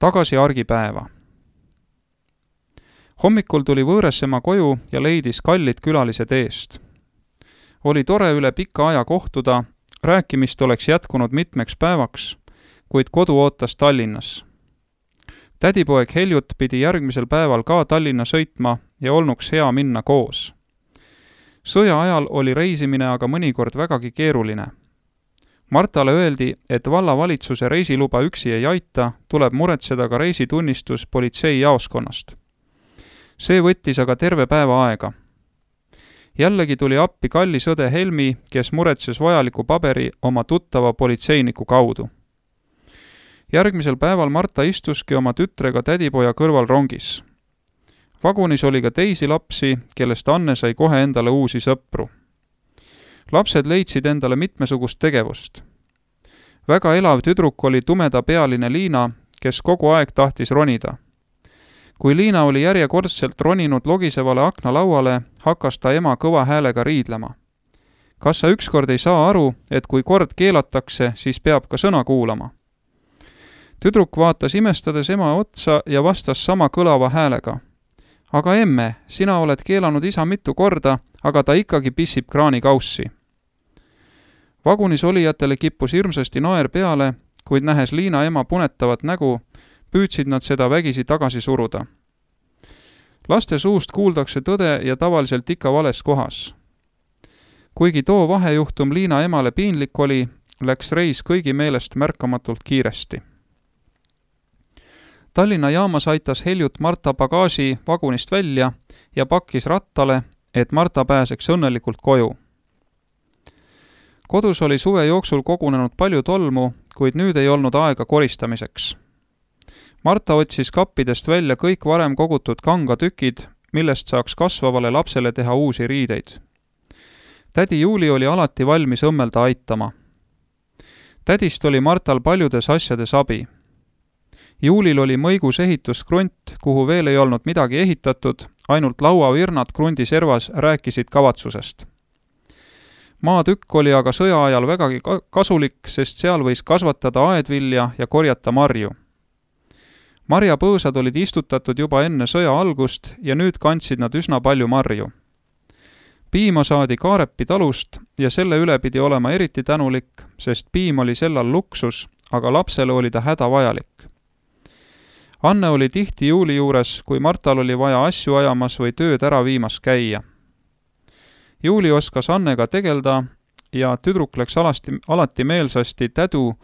Tagasi argipäeva. Hommikul tuli Võõresema koju ja leidis kallid külalised eest. Oli tore üle pika aja kohtuda, rääkimist oleks jätkunud mitmeks päevaks, kuid kodu ootas Tallinnas. Tädipoeg Heljut pidi järgmisel päeval ka Tallinna sõitma ja olnuks hea minna koos. Sõja ajal oli reisimine aga mõnikord vägagi keeruline. Martale öeldi, et vallavalitsuse reisiluba üksi ei aita, tuleb muretseda ka reisitunnistus politseijaoskonnast. See võttis aga terve päeva aega. Jällegi tuli appi kallis õde Helmi, kes muretses vajaliku paberi oma tuttava politseiniku kaudu. Järgmisel päeval Marta istuski oma tütrega tädipoja kõrval rongis. Vagunis oli ka teisi lapsi, kellest Anne sai kohe endale uusi sõpru. Lapsed leidsid endale mitmesugust tegevust. Väga elav tüdruk oli tumedapealine Liina, kes kogu aeg tahtis ronida. Kui Liina oli järjekordselt roninud logisevale aknalauale, hakkas ta ema kõva häälega riidlema. Kas sa ükskord ei saa aru, et kui kord keelatakse, siis peab ka sõna kuulama? Tüdruk vaatas imestades ema otsa ja vastas sama kõlava häälega. Aga emme, sina oled keelanud isa mitu korda, aga ta ikkagi pissib kraanikaussi. Vagunis olijatele kippus hirmsasti naer peale, kuid nähes Liina ema punetavat nägu, püüdsid nad seda vägisi tagasi suruda. Laste suust kuuldakse tõde ja tavaliselt ikka vales kohas. Kuigi too vahejuhtum Liina emale piinlik oli, läks reis kõigi meelest märkamatult kiiresti. Tallinna jaamas aitas Heljut Marta pagaasi vagunist välja ja pakkis rattale, et Marta pääseks õnnelikult koju. Kodus oli suve jooksul kogunenud palju tolmu, kuid nüüd ei olnud aega koristamiseks. Marta otsis kappidest välja kõik varem kogutud kangatükid, millest saaks kasvavale lapsele teha uusi riideid. Tädi Juuli oli alati valmis õmmelda aitama. Tädist oli Martal paljudes asjades abi. Juulil oli mõigus ehituskrunt, kuhu veel ei olnud midagi ehitatud, ainult lauavirnad krundi servas rääkisid kavatsusest. Maatükk oli aga sõja ajal vägagi kasulik, sest seal võis kasvatada aedvilja ja korjata marju. Marjapõõsad olid istutatud juba enne sõja algust ja nüüd kandsid nad üsna palju marju. Piima saadi Kaarepi talust ja selle üle pidi olema eriti tänulik, sest piim oli sellal luksus, aga lapsele oli ta hädavajalik. Anne oli tihti Juuli juures, kui Martal oli vaja asju ajamas või tööd ära viimas käia. Juuli oskas Annega tegelda ja tüdruk läks alati meelsasti tädu,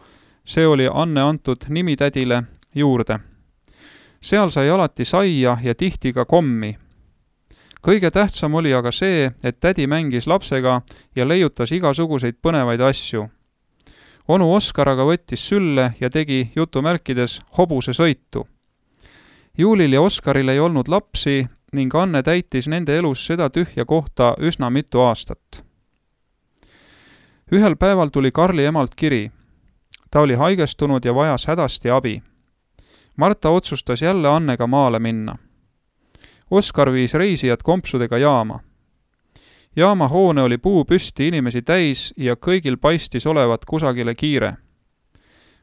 see oli Anne antud nimi tädile, juurde. Seal sai alati saia ja tihti ka kommi. Kõige tähtsam oli aga see, et tädi mängis lapsega ja leiutas igasuguseid põnevaid asju. Onu Oskar aga võttis sülle ja tegi jutumärkides hobuse sõitu. Juulil ja Oskaril ei olnud lapsi ning Anne täitis nende elus seda tühja kohta üsna mitu aastat. Ühel päeval tuli Karli emalt kiri. Ta oli haigestunud ja vajas hädasti abi. Marta otsustas jälle Annega maale minna. Oskar viis reisijad kompsudega jaama. Jaama hoone oli puu püsti inimesi täis ja kõigil paistis olevat kusagile kiire.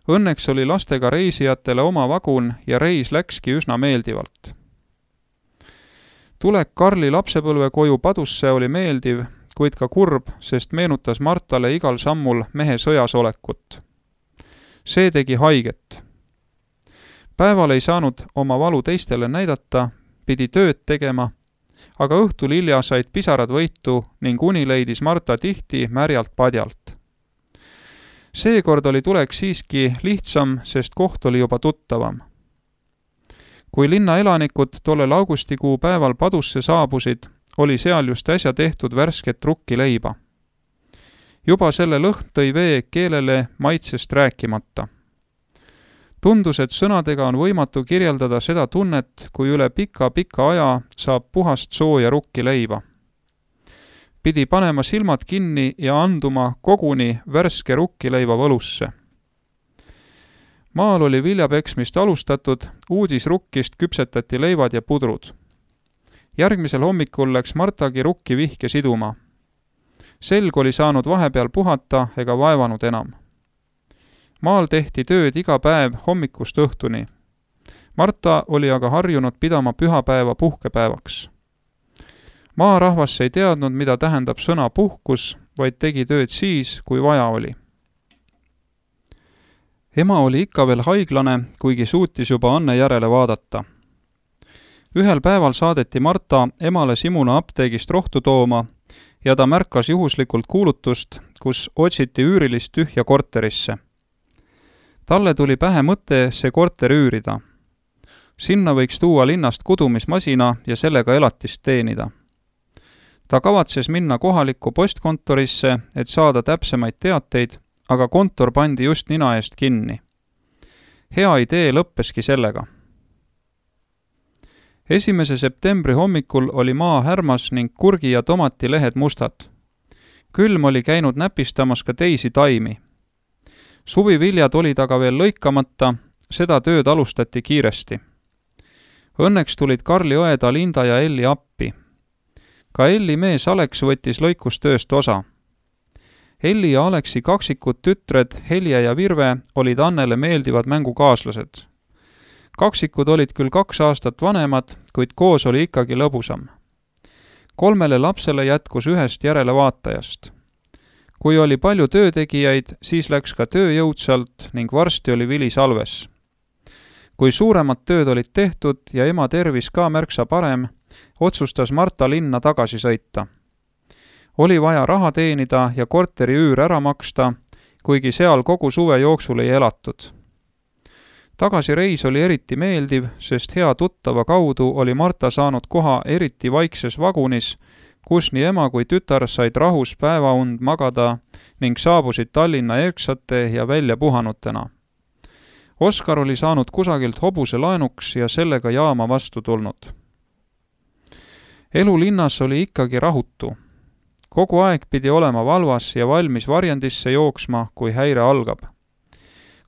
Õnneks oli lastega reisijatele oma vagun ja reis läkski üsna meeldivalt. Tulek Karli lapsepõlve koju Padusse oli meeldiv, kuid ka kurb, sest meenutas Martale igal sammul mehe sõjas olekut. See tegi haiget. Päeval ei saanud oma valu teistele näidata, pidi tööd tegema, aga õhtul hilja said pisarad võitu ning uni leidis Marta tihti märjalt padjalt. Seekord oli tulek siiski lihtsam, sest koht oli juba tuttavam. Kui linna elanikud tollel augustikuu päeval Padusse saabusid, oli seal just äsja tehtud värsket rukkileiba. Juba selle lõhn tõi vee keelele maitsest rääkimata. Tundus, et sõnadega on võimatu kirjeldada seda tunnet, kui üle pika aja saab puhast sooja rukkileiba. Pidi panema silmad kinni ja anduma koguni värske rukkileiva võlusse. Maal oli viljapeksmist alustatud, uudisrukkist küpsetati leivad ja pudrud. Järgmisel hommikul läks Martagi rukki vihke siduma. Selg oli saanud vahepeal puhata ega vaevanud enam. Maal tehti tööd iga päev hommikust õhtuni. Marta oli aga harjunud pidama pühapäeva puhkepäevaks. Maarahvas ei teadnud, mida tähendab sõna puhkus, vaid tegi tööd siis, kui vaja oli. Ema oli ikka veel haiglane, kuigi suutis juba Anne järele vaadata. Ühel päeval saadeti Marta emale Simuna apteegist rohtu tooma ja ta märkas juhuslikult kuulutust, kus otsiti üürilist tühja korterisse. Talle tuli pähe mõte see korter üürida. Sinna võiks tuua linnast kudumismasina ja sellega elatist teenida. Ta kavatses minna kohalikku postkontorisse, et saada täpsemaid teateid, aga kontor pandi just nina eest kinni. Hea idee lõppeski sellega. 1. septembri hommikul oli maa härmas ning kurgi ja tomati lehed mustad. Külm oli käinud näpistamas ka teisi taimi. Suviviljad olid aga veel lõikamata, seda tööd alustati kiiresti. Õnneks tulid Karli õed Alinda ja Elli appi. Ka Elli mees Aleks võttis lõikustööst osa. Elli ja Aleksi kaksikud tütred Helje ja Virve olid Annele meeldivad mängukaaslased. Kaksikud olid küll 2 aastat vanemad, kuid koos oli ikkagi lõbusam. 3 lapsele jätkus 1 järelevaatajast. Kui oli palju töötegijaid, siis läks ka töö jõudsalt ning varsti oli vili salves. Kui suuremad tööd olid tehtud ja ema tervis ka märksa parem, otsustas Marta linna tagasi sõita. Oli vaja raha teenida ja korteri üür ära maksta, kuigi seal kogu suve jooksul ei elatud. Tagasireis oli eriti meeldiv, sest hea tuttava kaudu oli Marta saanud koha eriti vaikses vagunis, kus nii ema kui tütar said rahus päevaund magada ning saabusid Tallinna erksate ja välja puhanutena. Oskar oli saanud kusagilt hobuse laenuks ja sellega jaama vastu tulnud. Elu linnas oli ikkagi rahutu. Kogu aeg pidi olema valvas ja valmis varjendisse jooksma, kui häire algab.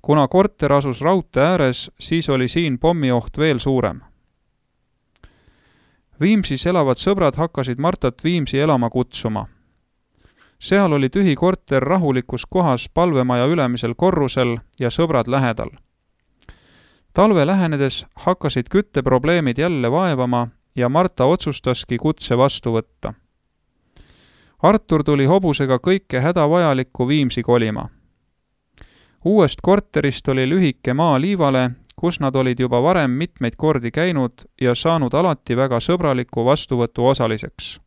Kuna korter asus raudtee ääres, siis oli siin pommioht veel suurem. Viimsis elavad sõbrad hakkasid Martat Viimsi elama kutsuma. Seal oli tühi korter rahulikus kohas palvemaja ülemisel korrusel ja sõbrad lähedal. Talve lähenedes hakkasid kütteprobleemid jälle vaevama ja Marta otsustaski kutse vastu võtta. Artur tuli hobusega kõike hädavajalikku Viimsi kolima. Uuest korterist oli lühike maa liivale, kus nad olid juba varem mitmeid kordi käinud ja saanud alati väga sõbraliku vastuvõtu osaliseks.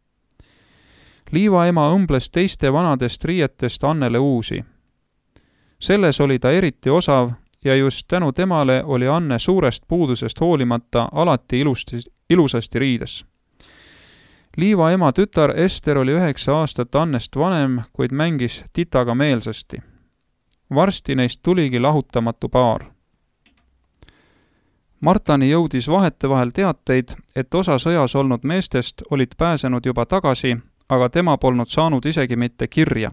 Liivaema õmbles teiste vanadest riietest Annele uusi. Selles oli ta eriti osav ja just tänu temale oli Anne suurest puudusest hoolimata alati ilusasti riides. Liivaema tütar Ester oli 9 aastat Annest vanem, kuid mängis titaga meelsasti. Varsti neist tuligi lahutamatu paar. Martani jõudis vahetevahel teateid, et osa sõjas olnud meestest olid pääsenud juba tagasi, aga tema polnud saanud isegi mitte kirja.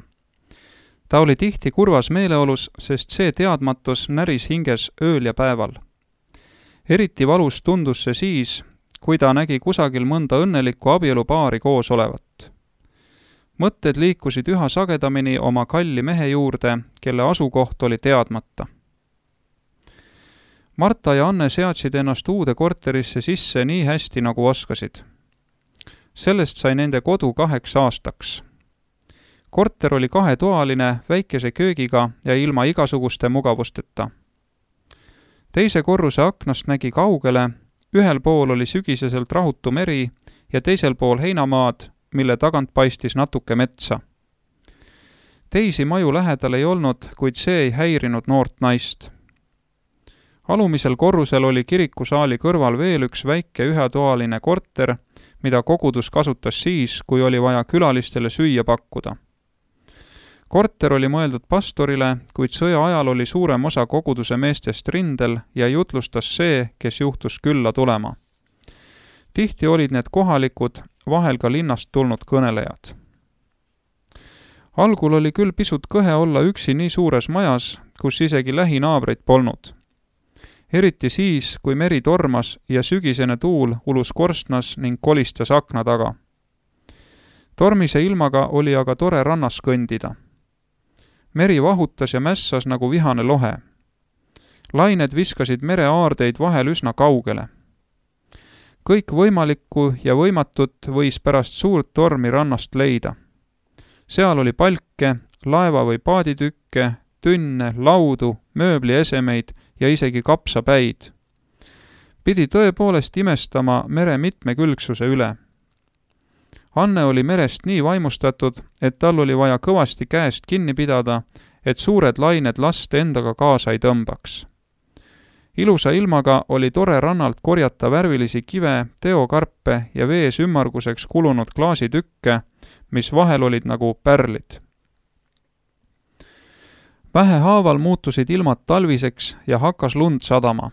Ta oli tihti kurvas meeleolus, sest see teadmatus näris hinges ööl ja päeval. Eriti valus tundus see siis, kui ta nägi kusagil mõnda õnnelikku abielupaari koos olevat. Mõtted liikusid üha sagedamini oma kalli mehe juurde, kelle asukoht oli teadmata. Marta ja Anne seadsid ennast uude korterisse sisse nii hästi, nagu oskasid. Sellest sai nende kodu 2 aastaks. Korter oli 2-toaline, väikese köögiga ja ilma igasuguste mugavusteta. Teise korruse aknast nägi kaugele, ühel pool oli sügiseselt rahutu meri ja teisel pool heinamaad, mille tagant paistis natuke metsa. Teisi maju lähedal ei olnud, kuid see ei häirinud noort naist. Alumisel korrusel oli kirikusaali kõrval veel üks väike 1-toaline korter, mida kogudus kasutas siis, kui oli vaja külalistele süüa pakkuda. Korter oli mõeldud pastorile, kuid sõja ajal oli suurem osa koguduse meestest rindel ja jutlustas see, kes juhtus külla tulema. Tihti olid need kohalikud, vahel ka linnast tulnud kõnelejad. Algul oli küll pisut kõhe olla üksi nii suures majas, kus isegi lähinaabreid polnud. Eriti siis, kui meri tormas ja sügisene tuul ulus korstnas ning kolistas akna taga. Tormise ilmaga oli aga tore rannas kõndida. Meri vahutas ja mässas nagu vihane lohe. lained viskasid mere aardeid vahel üsna kaugele. Kõik võimalikku ja võimatut võis pärast suurt tormi rannast leida. Seal oli palke, laeva või paaditükke, tünne, laudu, mööbliesemeid ja isegi kapsapäid. Pidi tõepoolest imestama mere mitmekülgsuse üle. Anne oli merest nii vaimustatud, et tal oli vaja kõvasti käest kinni pidada, et suured lained last endaga kaasa ei tõmbaks. Ilusa ilmaga oli tore rannalt korjata värvilisi kive, teokarpe ja vees ümmarguseks kulunud klaasitükke, mis vahel olid nagu pärlid. Vähehaaval muutusid ilmad talviseks ja hakkas lund sadama.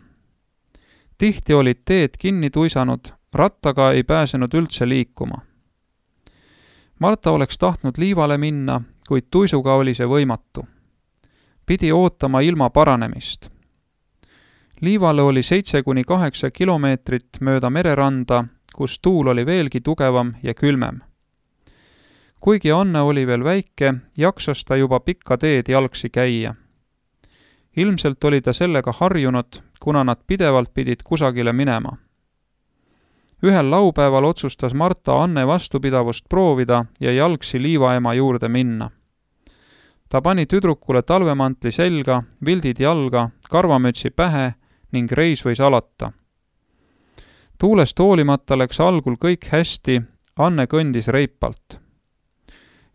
Tihti olid teed kinni tuisanud, rattaga ei pääsenud üldse liikuma. Marta oleks tahtnud liivale minna, kuid tuisuga oli see võimatu. Pidi ootama ilma paranemist. Liivale oli 7–8 kilomeetrit mööda mereranda, kus tuul oli veelgi tugevam ja külmem. Kuigi Anne oli veel väike, jaksas ta juba pikka teed jalgsi käia. Ilmselt oli ta sellega harjunud, kuna nad pidevalt pidid kusagile minema. Ühel laupäeval otsustas Marta Anne vastupidavust proovida ja jalgsi liivaema juurde minna. Ta pani tüdrukule talvemantli selga, vildid jalga, karvamütsi pähe ning reis võis alata. Tuulest hoolimata läks algul kõik hästi, Anne kõndis reipalt.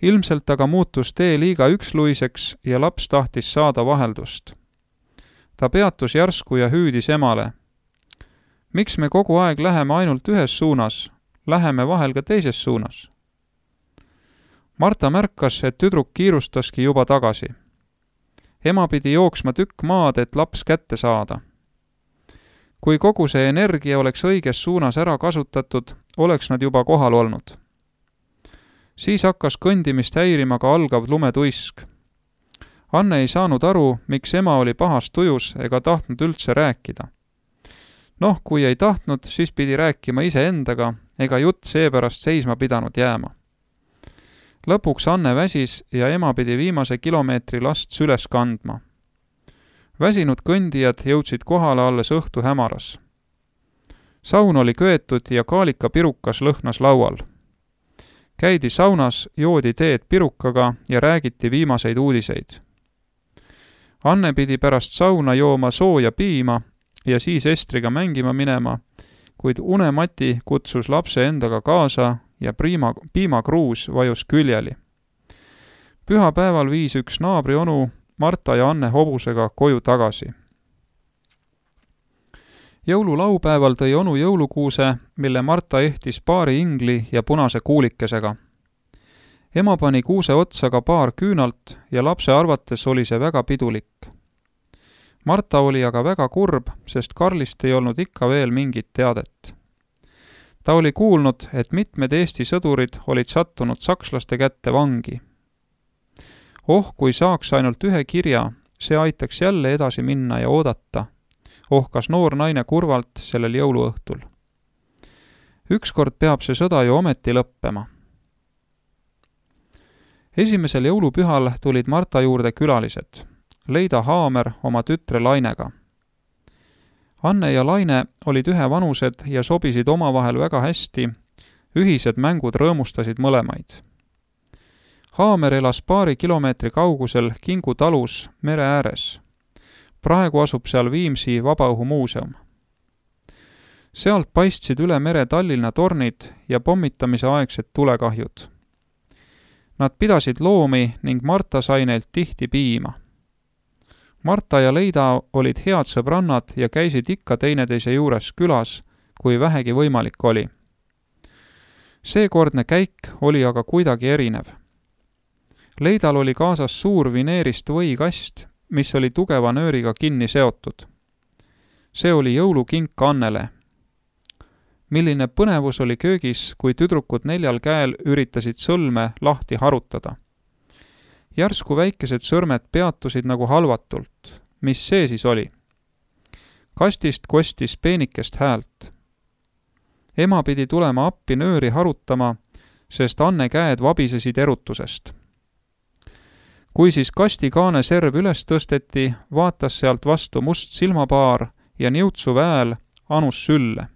Ilmselt aga muutus tee liiga üksluiseks ja laps tahtis saada vaheldust. Ta peatus järsku ja hüüdis emale. Miks me kogu aeg läheme ainult ühes suunas, läheme vahel ka teises suunas? Marta märkas, et tüdruk kiirustaski juba tagasi. Ema pidi jooksma tükk maad, et laps kätte saada. Kui kogu see energia oleks õiges suunas ära kasutatud, oleks nad juba kohal olnud. Siis hakkas kõndimist häirima ka algav lumetuisk. Anne ei saanud aru, miks ema oli pahas tujus ega tahtnud üldse rääkida. Kui ei tahtnud, siis pidi rääkima iseendaga, ega jutt seepärast seisma pidanud jääma. Lõpuks Anne väsis ja ema pidi viimase kilomeetri last süles kandma. Väsinud kõndijad jõudsid kohale alles õhtu hämaras. Saun oli köetud ja kaalikapirukas lõhnas laual. Käidi saunas, joodi teed pirukaga ja räägiti viimaseid uudiseid. Anne pidi pärast sauna jooma sooja piima ja siis Estriga mängima minema, kuid unemati kutsus lapse endaga kaasa ja piimakruus vajus küljeli. Pühapäeval viis üks naabri onu Marta ja Anne hobusega koju tagasi. Jõululaupäeval tõi onu jõulukuuse, mille Marta ehtis paari ingli ja punase kuulikesega. Ema pani kuuse otsa ka paar küünalt ja lapse arvates oli see väga pidulik. Marta oli aga väga kurb, sest Karlist ei olnud ikka veel mingit teadet. Ta oli kuulnud, et mitmed Eesti sõdurid olid sattunud sakslaste kätte vangi. Kui saaks ainult ühe kirja, see aitaks jälle edasi minna ja oodata, ohkas noor naine kurvalt sellel jõuluõhtul. Ükskord peab see sõda ju ometi lõppema. Esimesel jõulupühal tulid Marta juurde külalised, Leida Haamer oma tütre Lainega. Anne ja Laine olid ühevanused ja sobisid omavahel väga hästi, ühised mängud rõõmustasid mõlemaid. Haamer elas paari kilomeetri kaugusel Kingu talus mere ääres. Praegu asub seal Viimsi Vabaõhumuuseum. Sealt paistsid üle mere Tallinna tornid ja pommitamise aegsed tulekahjud. Nad pidasid loomi ning Marta sai neilt tihti piima. Marta ja Leida olid head sõbrannad ja käisid ikka teineteise juures külas, kui vähegi võimalik oli. Seekordne käik oli aga kuidagi erinev. Leidal oli kaasas suur vineerist võikast, mis oli tugeva nööriga kinni seotud. See oli jõulukink Annele. Milline põnevus oli köögis, kui tüdrukud 4 käel üritasid sõlme lahti harutada. Järsku väikesed sõrmed peatusid nagu halvatult. Mis see siis oli? Kastist kostis peenikest häält. Ema pidi tulema appi nööri harutama, sest Anne käed vabisesid erutusest. kui siis kastikaane serv üles tõsteti, vaatas sealt vastu must silmapaar ja niutsuv hääl anus sülle.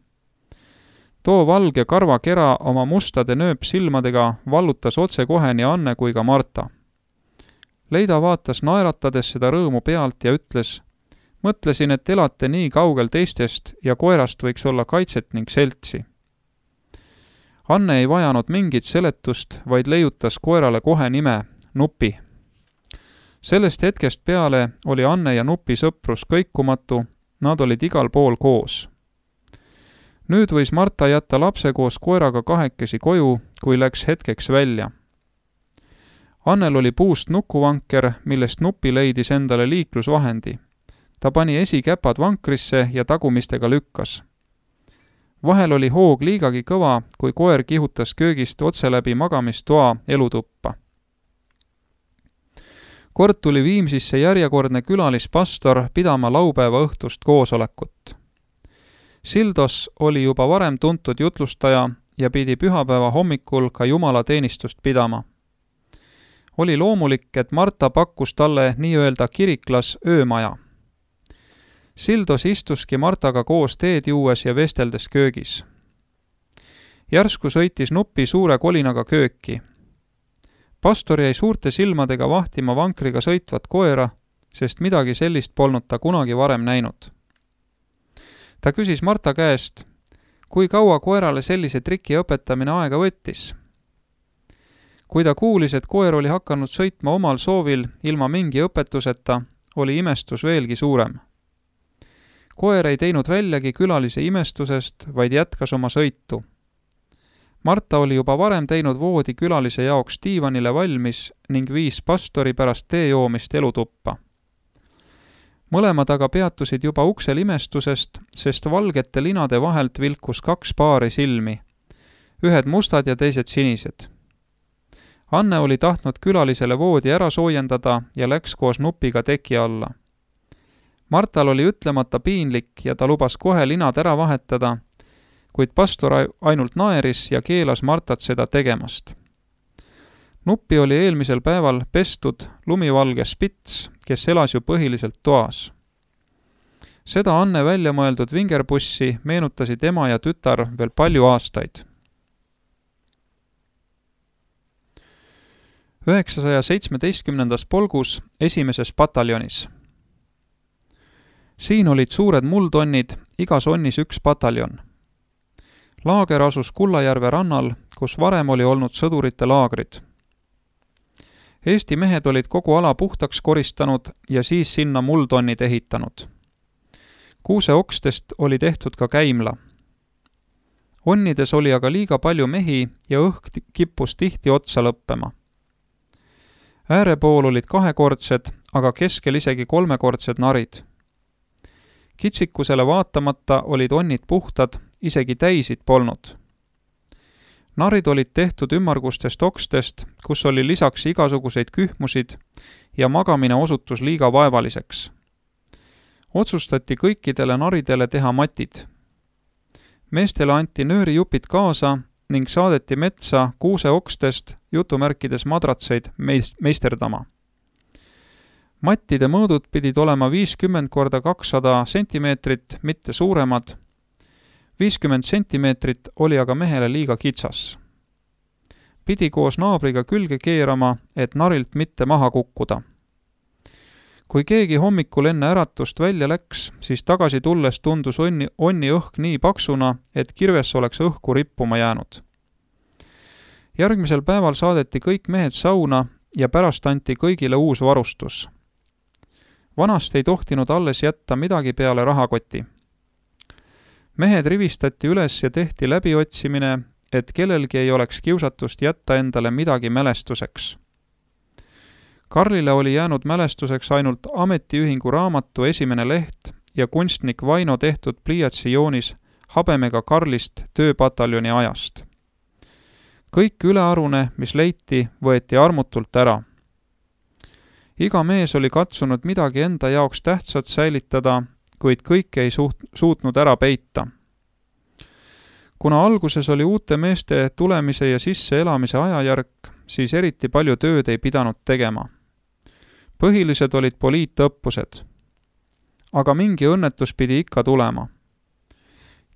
Too valge karvakera oma mustade nööpsilmadega vallutas otsekohe nii Anne kui ka Marta. Leida vaatas naeratades seda rõõmu pealt ja ütles: mõtlesin, et elate nii kaugel teistest ja koerast võiks olla kaitset ning seltsi. Anne ei vajanud mingit seletust, vaid leiutas koerale kohe nime Nupi. Sellest hetkest peale oli Anne ja Nupi sõprus kõikumatu, nad olid igal pool koos. Nüüd võis Marta jätta lapse koos koeraga kahekesi koju, kui läks hetkeks välja. Annel oli puust nukuvanker, millest Nupi leidis endale liiklusvahendi. Ta pani esikäpad vankrisse ja tagumistega lükkas. Vahel oli hoog liigagi kõva, kui koer kihutas köögist otse läbi magamistoa elutuppa. Kord tuli Viimsisse järjekordne külalispastor pidama laupäeva õhtust koosolekut. Sildos oli juba varem tuntud jutlustaja ja pidi pühapäeva hommikul ka jumalateenistust pidama. Oli loomulik, et Marta pakkus talle nii-öelda kiriklas öömaja. Sildos istuski Martaga koos teed juues ja vesteldes köögis. Järsku sõitis Nupi suure kolinaga kööki. Pastor jäi suurte silmadega vahtima vankriga sõitvat koera, sest midagi sellist polnud ta kunagi varem näinud. Ta küsis Marta käest, kui kaua koerale sellise triki õpetamine aega võttis. Kui ta kuulis, et koer oli hakanud sõitma omal soovil ilma mingi õpetuseta, oli imestus veelgi suurem. Koer ei teinud väljagi külalise imestusest, vaid jätkas oma sõitu. Marta oli juba varem teinud voodi külalise jaoks diivanile valmis ning viis pastori pärast tee joomist elutuppa. Mõlemad aga peatusid juba uksel imestusest, sest valgete linade vahelt vilkus 2 paari silmi, ühed mustad ja teised sinised. Anne oli tahtnud külalisele voodi ära soojendada ja läks koos Nupiga teki alla. Martal oli ütlemata piinlik ja ta lubas kohe linad ära vahetada, kuid pastor ainult naeris ja keelas Martat seda tegemast. Nupi oli eelmisel päeval pestud lumivalge spits, kes elas ju põhiliselt toas. Seda Anne välja mõeldud vingerpussi meenutasid ema ja tütar veel palju aastaid. 917. polgus 1. pataljonis. Siin olid suured muldonnid, igas onnis 1 pataljon. Laager asus Kullajärve rannal, kus varem oli olnud sõdurite laagrid. Eesti mehed olid kogu ala puhtaks koristanud ja siis sinna muldonnid ehitanud. Kuuseokstest oli tehtud ka käimla. Onnides oli aga liiga palju mehi ja õhk kippus tihti otsa lõppema. Äärepool olid 2-kordsed, aga keskel isegi 3-kordsed narid. Kitsikusele vaatamata olid onnid puhtad, isegi täisid polnud. Narid olid tehtud ümmargustest okstest, kus oli lisaks igasuguseid kühmusid ja magamine osutus liiga vaevaliseks. Otsustati kõikidele naridele teha matid. Meestele anti nöörijupid kaasa ning saadeti metsa kuuseokstest jutumärkides madratseid meisterdama. Mattide mõõdud pidid olema 50 × 200 sentimeetrit, mitte suuremad. 50 sentimeetrit oli aga mehele liiga kitsas. Pidi koos naabriga külge keerama, et narilt mitte maha kukkuda. Kui keegi hommikul enne äratust välja läks, siis tagasi tulles tundus onni õhk nii paksuna, et kirves oleks õhku rippuma jäänud. Järgmisel päeval saadeti kõik mehed sauna ja pärast anti kõigile uus varustus. Vanast ei tohtinud alles jätta midagi peale rahakoti. Mehed rivistati üles ja tehti läbiotsimine, et kellelgi ei oleks kiusatust jätta endale midagi mälestuseks. Karlile oli jäänud mälestuseks ainult ametiühingu raamatu 1. leht ja kunstnik Vaino tehtud pliiatsijoonis habemega Karlist tööpataljoni ajast. Kõik ülearune, mis leiti, võeti armutult ära. Iga mees oli katsunud midagi enda jaoks tähtsat säilitada, kuid kõike ei suutnud ära peita. Kuna alguses oli uute meeste tulemise ja sisseelamise ajajärk, siis eriti palju tööd ei pidanud tegema. Põhilised olid poliitõppused. Aga mingi õnnetus pidi ikka tulema.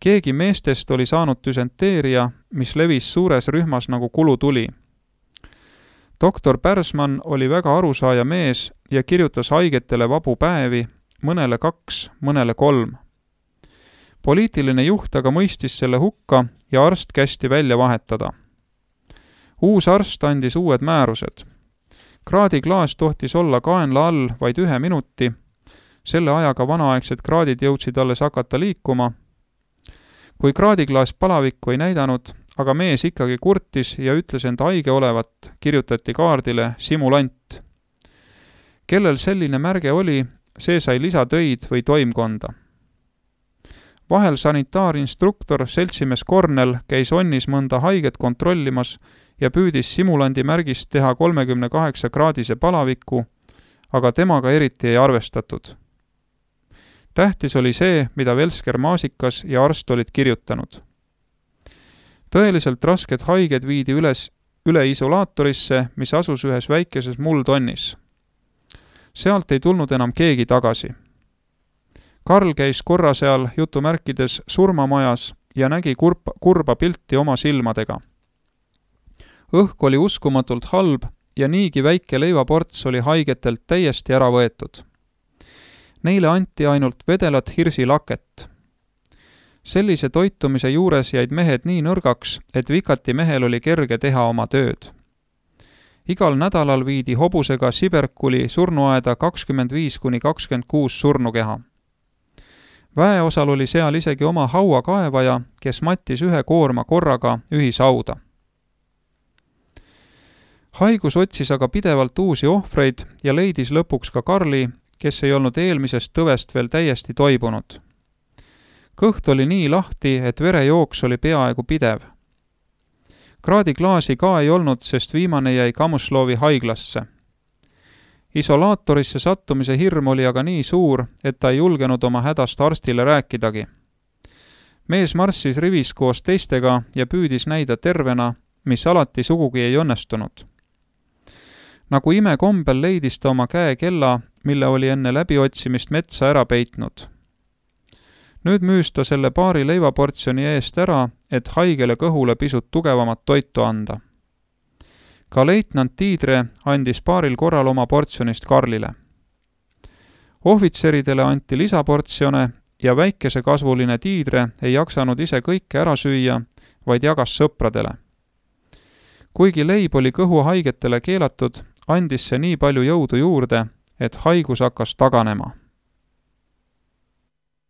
Keegi meestest oli saanud düsenteeria, mis levis suures rühmas nagu kulutuli. Doktor Pärsmann oli väga arusaaja mees ja kirjutas haigetele vabu päevi, mõnele 2, mõnele 3. Poliitiline juht aga mõistis selle hukka ja arst kästi välja vahetada. Uus arst andis uued määrused. Kraadiklaas tohtis olla kaenla all vaid 1 minuti, selle ajaga vanaaegsed kraadid jõudsid alles hakata liikuma. Kui kraadiklaas palavikku ei näidanud, aga mees ikkagi kurtis ja ütles end haige olevat, kirjutati kaardile simulant. Kellel selline märge oli, see sai lisatöid või toimkonda. Vahel sanitaarinstruktor seltsimees Kornel käis onnis mõnda haiget kontrollimas ja püüdis simulandi märgist teha 38-kraadise palaviku, aga temaga eriti ei arvestatud. Tähtis oli see, mida Velsker Maasikas ja arst olid kirjutanud. Tõeliselt rasked haiged viidi üle isolaatorisse, mis asus ühes väikeses muldonnis. Sealt ei tulnud enam keegi tagasi. Karl käis korra seal jutumärkides surmamajas ja nägi kurba pilti oma silmadega. Õhk oli uskumatult halb ja niigi väike leivaports oli haigetelt täiesti ära võetud. Neile anti ainult vedelat hirsilaket. Sellise toitumise juures jäid mehed nii nõrgaks, et vikati mehel oli kerge teha oma tööd. Igal nädalal viidi hobusega Siberkuli surnuaeda 25–26 surnukeha. Väeosal oli seal isegi oma hauakaevaja, kes mattis 1 koorma korraga ühishauda. Haigus otsis aga pidevalt uusi ohvreid ja leidis lõpuks ka Karli, kes ei olnud eelmisest tõvest veel täiesti toibunud. Kõht oli nii lahti, et verejooks oli peaaegu pidev. Kraadiklaasi ka ei olnud, sest viimane jäi Kamuslovi haiglasse. Isolaatorisse sattumise hirm oli aga nii suur, et ta ei julgenud oma hädast arstile rääkidagi. Mees marssis rivis koos teistega ja püüdis näida tervena, mis alati sugugi ei õnnestunud. Nagu imekombel leidis ta oma käe kella, mille oli enne läbiotsimist metsa ära peitnud. Nüüd müüs ta selle paari leivaportsjoni eest ära, et haigele kõhule pisut tugevamat toitu anda. Ka leitnant Tiidre andis paaril korral oma portsjonist Karlile. Ohvitseridele anti lisaportsjone ja väikesekasvuline Tiidre ei jaksanud ise kõike ära süüa, vaid jagas sõpradele. Kuigi leib oli kõhuhaigetele keelatud, andis see nii palju jõudu juurde, et haigus hakkas taganema.